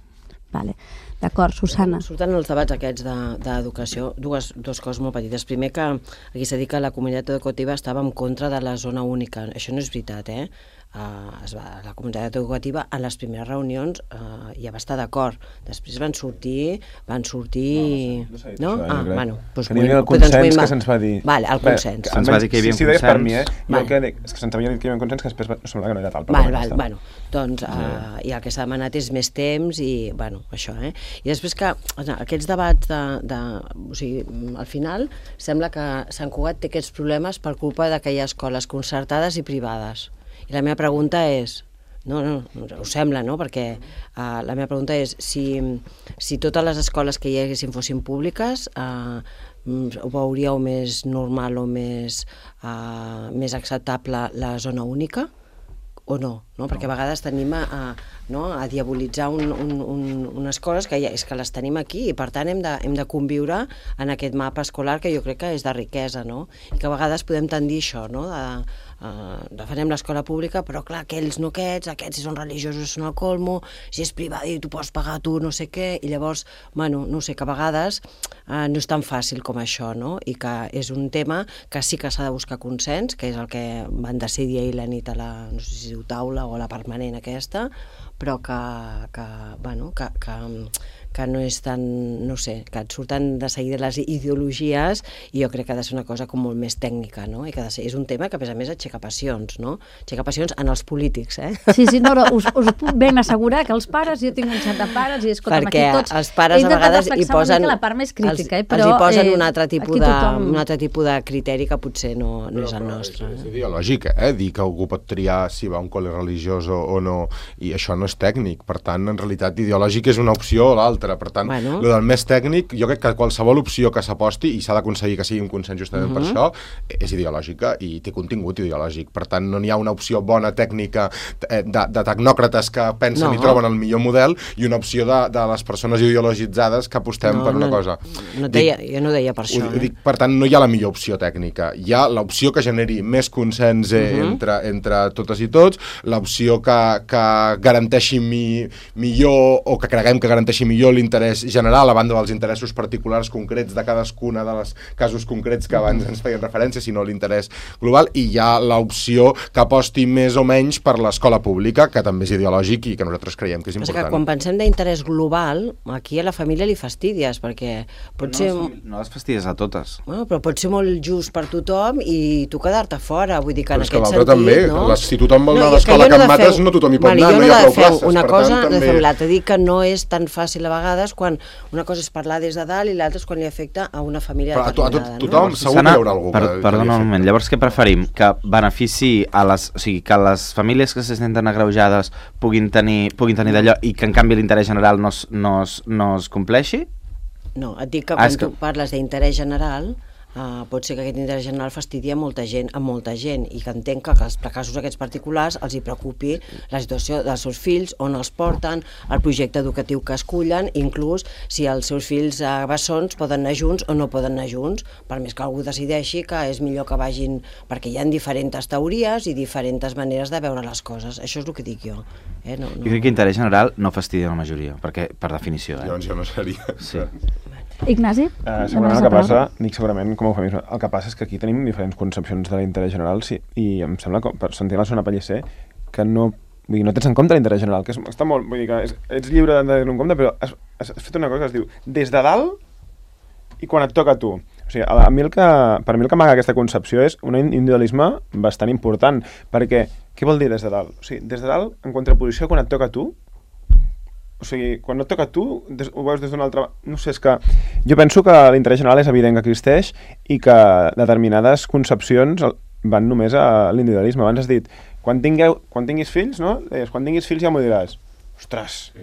Vale. D'acord, Susana. Surten els debats aquests d'educació, dues coses molt petites. Primer, que aquí s'ha dit que la comunitat educativa estava en contra de la zona única. Això no és veritat, la comunitat educativa en les primeres reunions ja va estar d'acord. Després van sortir... No? Doncs el consens que se'ns va dir. Vale, el consens. Se'ns va dir que hi havia un consens. Si deies per mi, és que se'ns havia dit que hi havia un consens que després sembla que no era tal. Val. Doncs i el que s'ha demanat és més temps i, això, I després que aquests debats o sigui, al final sembla que Sant Cugat té aquests problemes per culpa que hi ha escoles concertades i privades. I la meva pregunta és, no, us sembla, no? Perquè la meva pregunta és si totes les escoles que hi haguessin fossin públiques, ho veuríeu més normal o més acceptable la zona única o no? Perquè a vegades tenim a diabolitzar unes coses que és que les tenim aquí i per tant hem de conviure en aquest mapa escolar que jo crec que és de riquesa, no? I que a vegades podem tendir això, no? Defensem l'escola pública, però clar, aquells no aquests si són religiosos són al colmo, si és privat i tu pots pagar tu no sé què, i llavors, no sé, que a vegades no és tan fàcil com això, no? I que és un tema que sí que s'ha de buscar consens, que és el que van decidir ahir la nit a la, no sé si es diu taula o a la permanent aquesta, però que no és tan, no sé, que et surten de seguida les ideologies i jo crec que ha de ser una cosa com molt més tècnica, no? I que és un tema que a més aixeca passions, no? Aixeca passions en els polítics, Sí, no, us puc ben assegurar que els pares, jo tinc un xat de pares i escolta'm, aquí tots... Perquè els pares a vegades hi posen... la part més crítica, però els hi posen un altre tipus de criteri que potser no és el nostre. És ideològic, dir que algú pot triar si va a un col·le religiós o no, i això no és tècnic, per tant, en realitat ideològic és una opció o l'altra. Per tant, el del més tècnic, jo crec que qualsevol opció que s'aposti, i s'ha d'aconseguir que sigui un consens justament per això, és ideològica i té contingut ideològic. Per tant, no n'hi ha una opció bona tècnica de tecnòcrates que pensen i troben el millor model i una opció de les persones ideologitzades que apostem per una cosa. Jo no deia per això. Per tant, no hi ha la millor opció tècnica. Hi ha l'opció que generi més consens entre totes i tots, l'opció que garanteixi millor o que creguem que garanteixi millor millor l'interès general, a banda dels interessos particulars concrets de cadascuna de les casos concrets que abans ens feien referència, sinó l'interès global, i hi ha l'opció que aposti més o menys per l'escola pública, que també és ideològic i que nosaltres creiem que és important. Que quan pensem d'interès global, aquí a la família li fastidies, perquè pot ser... No les fastidies a totes. Bueno, però pot ser molt just per tothom i tu quedar-te fora, vull dir que en aquest sentit... també, no? Si tothom vol anar a l'escola Can Mates, no tothom hi pot anar, no hi ha prou places. Una cosa no fem l'altra, dic que no és tan fàcil a vegades quan una cosa és parlar des de dalt i l'altra és quan li afecta a una família determinada. Però a tothom segur que hi haurà algú que... Perdona un moment, llavors què preferim? Que benefici a les... O sigui, que les famílies que se senten agreujades puguin tenir d'allò i que en canvi l'interès general no es compleixi? No, et dic que quan tu parles d'interès general, pot ser que aquest interès general fastidi a molta gent, i que entenc que els casos aquests particulars els hi preocupi la situació dels seus fills, on els porten, el projecte educatiu que escullen, inclús si els seus fills bessons poden anar junts o no poden anar junts, per més que algú decideixi que és millor que vagin, perquè hi ha diferents teories i diferents maneres de veure les coses. Això és el que dic jo. Jo crec que interès general no fastidia la majoria, perquè per definició. Llavors jo no seria... Sí. Ignasi? Segurament el que passa, dic segurament com a eufemisme, el que passa és que aquí tenim diferents concepcions de l'interès general i em sembla, per sentir la Sona Pellicer, que no tens en compte l'interès general, que està molt, vull dir que ets lliure de tenir-ho en compte, però has fet una cosa que es diu des de dalt i quan et toca a tu. O sigui, per mi el que amaga aquesta concepció és un individualisme bastant important, perquè què vol dir des de dalt? O sigui, des de dalt, en contraposició quan et toca a tu, o sigui, quan no et toca a tu, ho veus des d'una altra... No sé, és que jo penso que l'interès general és evident que existeix i que determinades concepcions van només a l'individualisme. Abans has dit, quan tinguis fills, no? Quan tinguis fills ja m'ho diràs. Ostres!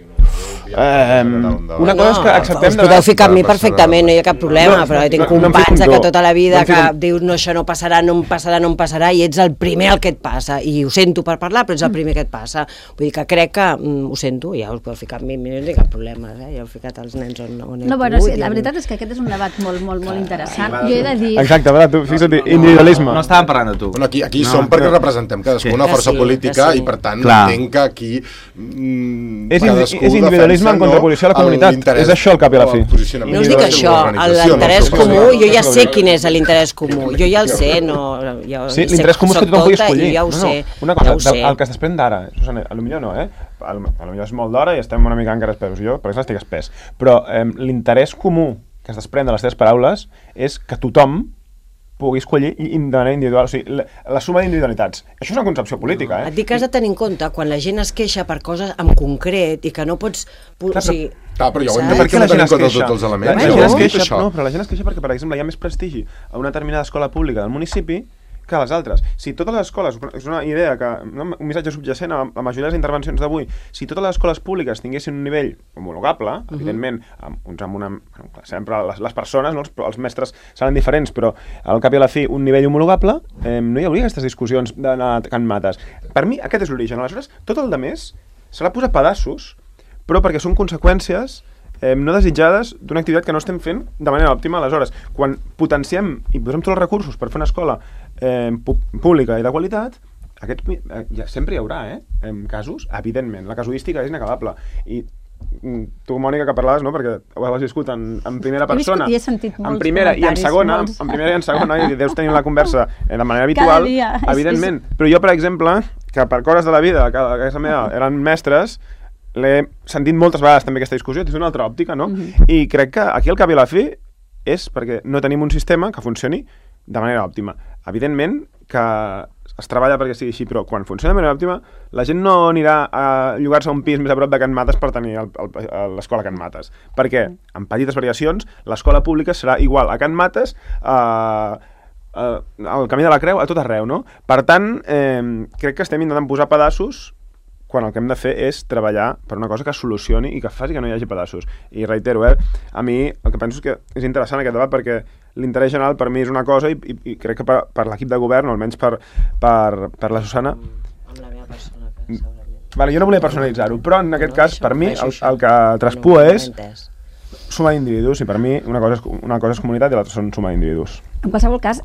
Una cosa és que acceptem... Us podeu ficar amb mi perfectament, no hi ha cap problema, però tinc companys que tota la vida que dius no, això no passarà, no em passarà, i ets el primer el que et passa, i ho sento per parlar, però ets el primer que et passa. Vull dir que crec que ho sento, ja us podeu ficar amb mi, no hi ha cap problema, ja heu ficat els nens on heu pogut. No, bueno, la veritat és que aquest és un debat molt interessant. Jo he de dir... Exacte, tu fixa't, individualisme. No estàvem parlant de tu. Aquí som perquè representem cadascú una força política i per tant entenc que aquí... És individualisme en contraposició a la comunitat. És això el cap i la fi. No us dic això, l'interès comú, jo ja sé quin és l'interès comú, jo ja el sé, sí, l'interès comú és que tothom pugui escollir. Ja ho sé. Una cosa, el que es desprèn d'ara, Susana, potser no, potser és molt d'hora i estem una mica encara espès, jo per exemple estic espès, però l'interès comú que es desprèn de les teves paraules és que tothom pugui escollir de manera individual, o sigui, la suma d'individualitats. Això és una concepció política, Et dic que has de tenir en compte quan la gent es queixa per coses en concret i que no pots... Però ja ho hem de perquè no tenim en compte tots els elements. Però la gent es queixa perquè, per exemple, hi ha més prestigi a una determinada escola pública del municipi que a les altres. Si totes les escoles, és una idea que, un missatge subjacent a la majoria de les intervencions d'avui, si totes les escoles públiques tinguessin un nivell homologable, evidentment, sempre les persones, els mestres seran diferents, però al cap i a la fi un nivell homologable, no hi hauria aquestes discussions d'anar a Can Mates. Per mi aquest és l'origen. Aleshores, tot el demés se l'ha posat pedaços, però perquè són conseqüències no desitjades d'una activitat que no estem fent de manera òptima. Aleshores, quan potenciem i posem tots els recursos per fer una escola pública i de qualitat, sempre hi haurà casos, evidentment. La casuística és inacabable. I tu, Mònica, que parlaves, no? Perquè ho has viscut en primera persona, en primera i en segona, i deus tenir la conversa de manera habitual, evidentment. Però jo, per exemple, que per coses de la vida, que a casa meva eren mestres, l'he sentit moltes vegades també aquesta discussió des d'una altra òptica, no? I crec que aquí al cap i a la fi és perquè no tenim un sistema que funcioni de manera òptima. Evidentment que es treballa perquè sigui així, però quan funciona de manera òptima, la gent no anirà a llogar-se a un pis més a prop de Can Mates per tenir l'escola Can Mates. Perquè, amb petites variacions, l'escola pública serà igual a Can Mates, al Camí de la Creu, a tot arreu, no? Per tant, crec que estem intentant posar pedaços quan el que hem de fer és treballar per una cosa que solucioni i que faci que no hi hagi pedaços. I reitero, a mi el que penso és que és interessant aquest debat perquè l'interès general per mi és una cosa i crec que per l'equip de govern, o almenys per la Susana... Amb la meva persona, segurament. Vale, jo no volia personalitzar-ho, però en aquest cas, per mi, el que traspua és suma d'individus, i per mi una cosa és comunitat i l'altra són suma d'individus. En qualsevol cas,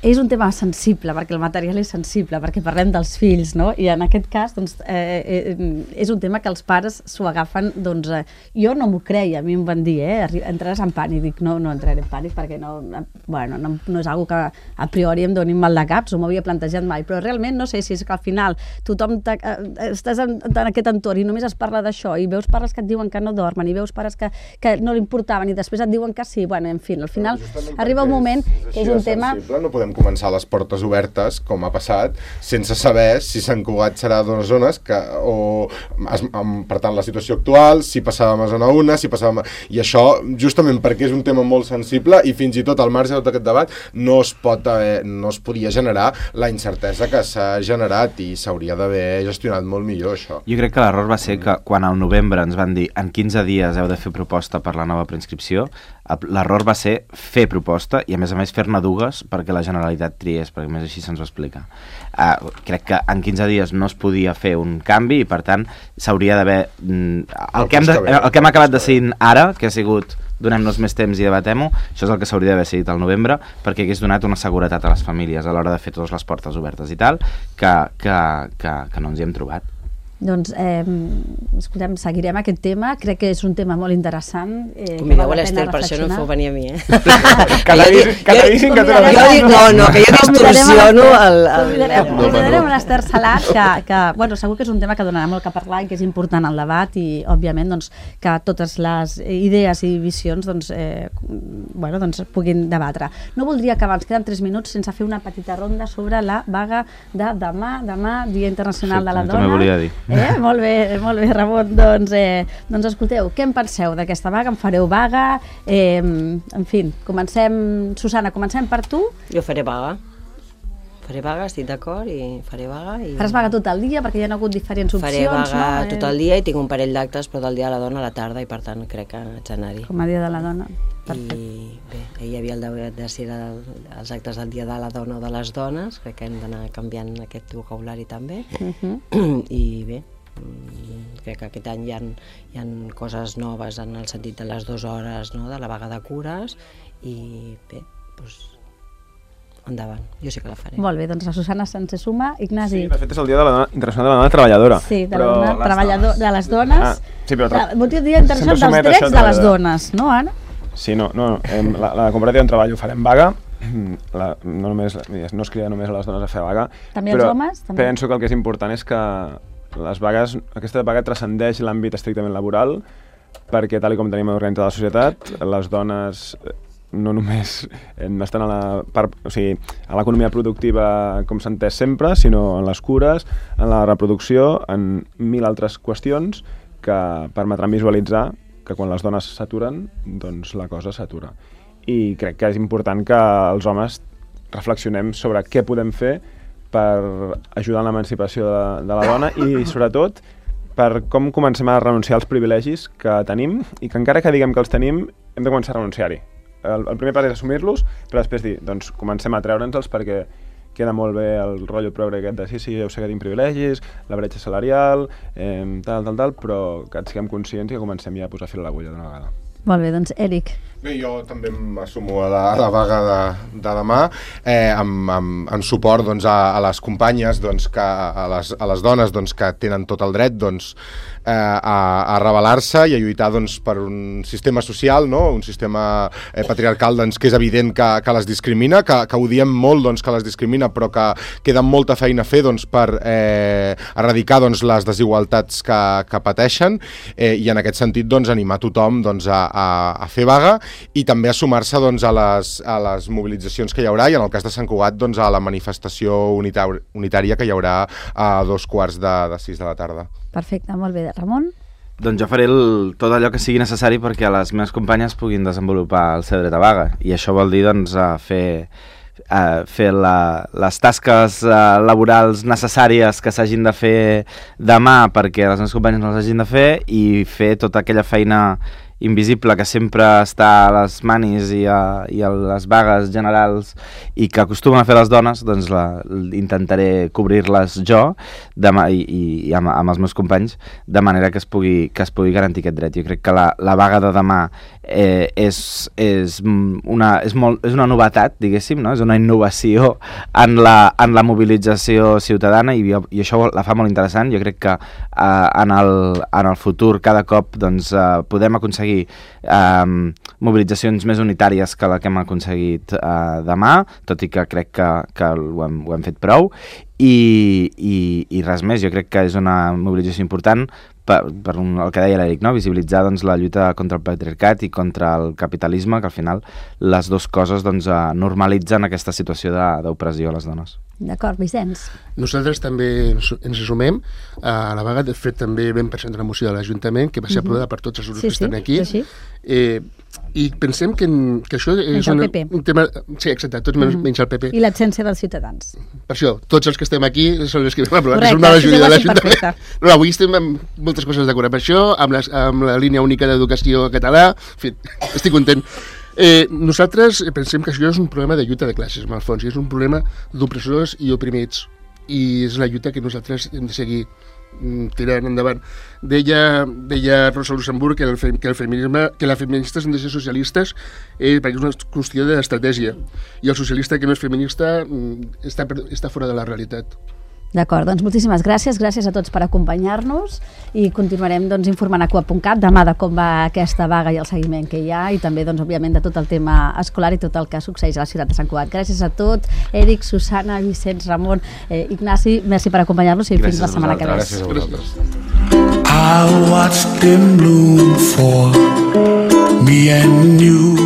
és un tema sensible, perquè el material és sensible, perquè parlem dels fills, no? I en aquest cas, doncs, és un tema que els pares s'ho agafen, doncs, jo no m'ho creia, a mi em van dir, entraràs en pànic, dic, no entraré en pànic, perquè no és algo que a priori em doni mal de caps, o m'havia plantejat mai, però realment no sé si és que al final tothom estàs en aquest entorn i només es parla d'això, i veus pares que et diuen que no dormen, i veus pares que no li importaven, i després et diuen que sí, bueno, en fi, al final arriba un moment que és un tema... No podem començar les portes obertes, com ha passat, sense saber si Sant Cugat serà d'unes zones per tant, la situació actual, si passàvem a zona 1, si passàvem... I això, justament perquè és un tema molt sensible i fins i tot al marge de tot aquest debat no es podia generar la incertesa que s'ha generat i s'hauria d'haver gestionat molt millor, això. Jo crec que l'error va ser que quan al novembre ens van dir en 15 dies heu de fer proposta per la nova preinscripció, l'error va ser fer proposta i a més fer-ne dues perquè la Generalitat triés, perquè més així se'ns ho explica. Crec que en 15 dies no es podia fer un canvi i per tant s'hauria d'haver... El que hem acabat decidint ara, que ha sigut donem-nos més temps i debatem-ho, això és el que s'hauria d'haver decidit al novembre perquè hagués donat una seguretat a les famílies a l'hora de fer totes les portes obertes i tal, que no ens hi hem trobat. Doncs, escoltem, seguirem aquest tema, crec que és un tema molt interessant. Convideu a l'Ester, per això no em feu venir a mi, Catadíssim que tu no, que jo distorsiono Convidarem l'Ester Salat, que segur que és un tema que donarà molt que parlar i que és important al debat i, òbviament, doncs, que totes les idees i visions puguin debatre. No voldria acabar, ens queden 3 minuts sense fer una petita ronda sobre la vaga de demà, Dia Internacional de la Dona. També volia dir. Molt bé, Ramon. Doncs escolteu, què en penseu d'aquesta vaga? En fareu vaga? En fi, comencem... Susana, comencem per tu. Jo faré vaga. Faré vaga, estic d'acord, i faré vaga. Faràs vaga tot el dia, perquè hi ha hagut diferents opcions, faré vaga tot el dia i tinc un parell d'actes, però del Dia de la Dona a la tarda, i per tant crec que haig d'anar-hi. Com a Dia de la Dona. Perfecte. I bé, hi havia el debat de si era els actes del Dia de la Dona o de les dones, crec que hem d'anar canviant aquest vocabulari també. I bé, crec que aquest any hi ha coses noves en el sentit de les 2 hores, no?, de la vaga de cures, i bé, doncs endavant, jo sí que la faré. Molt bé, doncs la Susana se'n suma. Ignasi. Sí, de fet és el Dia Internacional de la Dona Treballadora. Sí, de les dones. Sí, però motiu Dia Internacional dels Drets de les Dones, no, Anna? Sí, no, la cooperativa on treballo farem vaga, no es crida només a les dones a fer vaga, també els homes? També. Penso que el que és important és que les vagues, aquesta vaga transcendeix l'àmbit estrictament laboral, perquè tal com tenim organitzada la societat, les dones no només estan a l'economia productiva com s'ha entès sempre, sinó en les cures, en la reproducció, en 1000 altres qüestions que permetran visualitzar que quan les dones s'aturen, doncs la cosa s'atura. I crec que és important que els homes reflexionem sobre què podem fer per ajudar en l'emancipació de la dona i, sobretot, per com comencem a renunciar als privilegis que tenim i que encara que diguem que els tenim, hem de començar a renunciar-hi. El primer pas és assumir-los, però després dir, doncs comencem a treure'ns-els perquè queda molt bé el rotllo progre aquest de sí, ja ho sé que tinc privilegis, la bretxa salarial, tal, però que en siguem conscients i que comencem ja a posar fil a l'agulla d'una vegada. Molt bé, doncs Eric. Bé, jo també m'assumo a la vaga de demà, en suport doncs, a les companyes, doncs, a les dones doncs, que tenen tot el dret doncs, a rebel·lar-se i a lluitar doncs, per un sistema social, no? Un sistema patriarcal doncs, que és evident que les discrimina, que ho diem molt doncs, que les discrimina, però que queda molta feina a fer doncs, per erradicar doncs, les desigualtats que pateixen i en aquest sentit doncs, animar tothom doncs, a fer vaga i també a sumar-se doncs, a les mobilitzacions que hi haurà i en el cas de Sant Cugat doncs, a la manifestació unitària que hi haurà a 5:45 de la tarda. Perfecte, molt bé. Ramon? Doncs jo faré tot allò que sigui necessari perquè les meves companyes puguin desenvolupar el seu dret a vaga i això vol dir doncs, fer les tasques laborals necessàries que s'hagin de fer demà perquè les meves companyes no les hagin de fer i fer tota aquella feina invisible que sempre està a les manis i a les vagues generals i que acostumen a fer les dones, doncs intentaré cobrir-les jo demà, i amb els meus companys de manera que es pugui garantir aquest dret. Jo crec que la vaga de demà és una novetat, diguéssim, no? És una innovació en la mobilització ciutadana i això la fa molt interessant. Jo crec que en el futur cada cop doncs, podem aconseguir mobilitzacions més unitàries que la que hem aconseguit demà, tot i que crec que ho hem fet prou, i res més. Jo crec que és una mobilització important per el que deia l'Eric, no? Visibilitzar doncs, la lluita contra el patriarcat i contra el capitalisme, que al final les dues coses doncs, normalitzen aquesta situació d'opressió a les dones. D'acord, Vicenç. Nosaltres també ens sumem a la vaga. De fet, també vam presentar una moció de l'Ajuntament que va ser aprovada per tots els grups que estan aquí. Sí. I pensem que això és un tema... Sí, exacte, tots menys el PP. I l'absència dels ciutadans. Per això, tots els que estem aquí són els que vam aprovar. Correcte, és una majoria de l'Ajuntament. No, avui estem amb moltes coses d'acord amb això, amb la línia única d'educació català. En fi, estic content. Nosaltres pensem que això és un problema de lluita de classes, en el fons, i és un problema d'opressors i oprimits, i és la lluita que nosaltres hem de seguir tirant endavant. Deia Rosa Luxemburg que les feministes han de ser socialistes perquè és una qüestió d'estratègia, i el socialista que no és feminista està fora de la realitat. D'acord, doncs moltíssimes gràcies a tots per acompanyar-nos, i continuarem doncs, informant a CUAP.cat demà de com va aquesta vaga i el seguiment que hi ha, i també doncs, òbviament de tot el tema escolar i tot el que succeeix a la ciutat de Sant Cugat. Gràcies a tots, Eric, Susana, Vicenç, Ramon, Ignasi, merci per acompanyar-nos i fins la setmana que ve. Gràcies a vosaltres. I watched them bloom for me and you.